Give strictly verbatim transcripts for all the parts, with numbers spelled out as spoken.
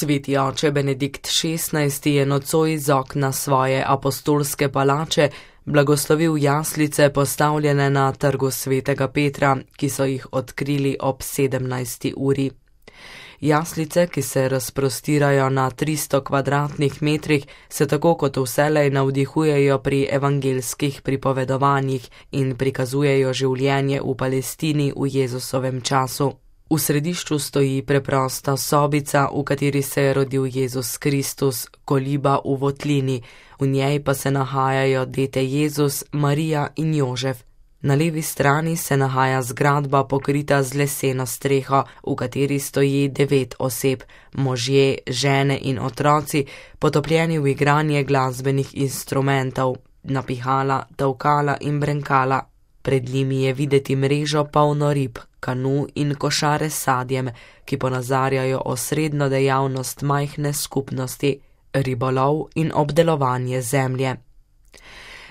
Sveti oče Benedikt šestnajsti je nocoj iz okna svoje apostolske palače blagoslovil jaslice, postavljene na trgu svetega Petra, ki so jih odkrili ob sedemnajsti uri. Jaslice, ki se razprostirajo na tristo kvadratnih metrih, se tako kot vselej navdihujejo pri evangelskih pripovedovanjih in prikazujejo življenje v Palestini v Jezusovem času. V središču stoji preprosta sobica, v kateri se je rodil Jezus Kristus, koliba v votlini, v njej pa se nahajajo dete Jezus, Marija in Jožef. Na levi strani se nahaja zgradba pokrita z leseno streho, v kateri stoji devet oseb, možje, žene in otroci, potopljeni v igranje glasbenih instrumentov, napihala, tolkala in brenkala. Pred njimi je videti mrežo polno rib, kanu in košare s sadjem, ki ponazarjajo osrednjo dejavnost majhne skupnosti, ribolov in obdelovanje zemlje.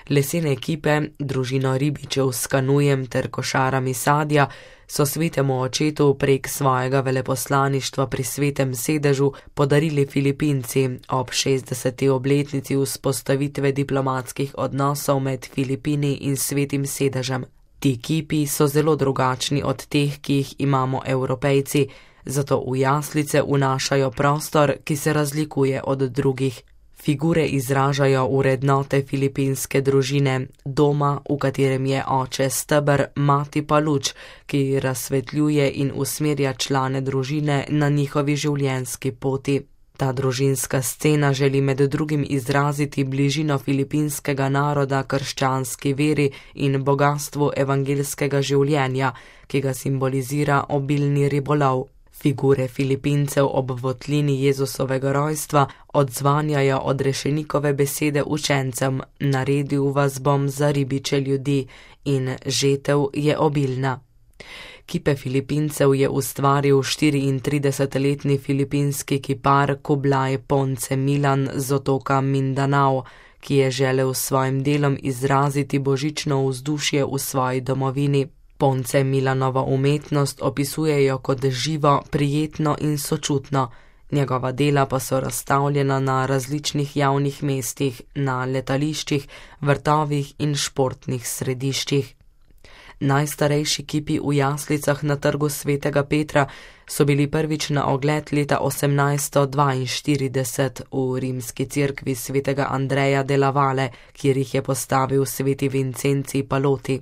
Lesene ekipe, družino ribičev s kanujem ter košarami sadja, so svetemu očetu prek svojega veleposlaništva pri svetem sedežu podarili Filipinci ob šestdeseti obletnici vzpostavitve diplomatskih odnosov med Filipini in svetim sedežem. Ti kipi so zelo drugačni od teh, ki jih imamo Evropejci, zato v jaslice vnašajo prostor, ki se razlikuje od drugih. Figure izražajo vrednote filipinske družine, doma, v katerem je oče steber, mati pa luč, ki razsvetljuje in usmerja člane družine na njihovi življenjski poti. Ta družinska scena želi med drugim izraziti bližino filipinskega naroda krščanski veri in bogastvu evangelskega življenja, ki ga simbolizira obilni ribolov. Figure Filipincev ob votlini Jezusovega rojstva odzvanjajo odrešenikove besede učencem: naredil vas bom za ribiče ljudi in žetev je obilna. Kipe Filipincev je ustvaril štiriintridesetletni filipinski kipar Kublai Ponce Milan z otoka Mindanao, ki je želel s svojim delom izraziti božično vzdušje v svoji domovini. Ponce Milanovo umetnost opisujejo kot živo, prijetno in sočutno, njegova dela pa so razstavljena na različnih javnih mestih, na letališčih, vrtovih in športnih središčih. Najstarejši kipi v jaslicah na trgu svetega Petra so bili prvič na ogled leta osemnajststo dvainštirideset v rimski cerkvi svetega Andreja della Valle, kjer jih je postavil sveti Vincenci Paloti.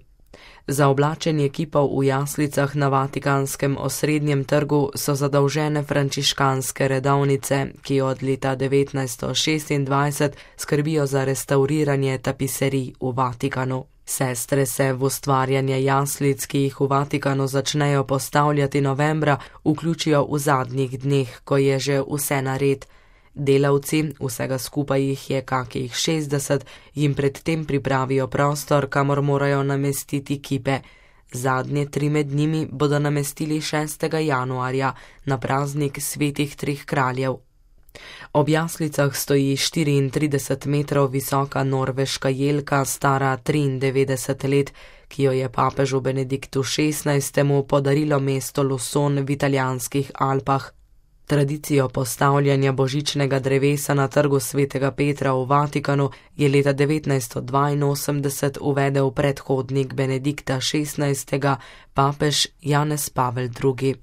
Za oblačenje kipov v jaslicah na Vatikanskem osrednjem trgu so zadolžene frančiškanske redovnice, ki od leta devetnajststo šestindvajset skrbijo za restavriranje tapiserij v Vatikanu. Sestre se v ustvarjanje jaslic, ki jih v Vatikanu začnejo postavljati novembra, vključijo v zadnjih dneh, ko je že vse nared. Delavci, vsega skupaj jih je kakih šestdeset, jim predtem pripravijo prostor, kamor morajo namestiti kipe. Zadnje tri med njimi bodo namestili šestega januarja na praznik svetih treh kraljev. Ob jaslicah stoji štiriintrideset metrov visoka norveška jelka, stara triindevetdeset let, ki jo je papežu Benediktu šestnajstemu podarilo mesto Luson v italijanskih Alpah. Tradicijo postavljanja božičnega drevesa na trgu svetega Petra v Vatikanu je leta devetnajststo dvainosemdeset uvedel predhodnik Benedikta šestnajstega, papež Janez Pavel drugi.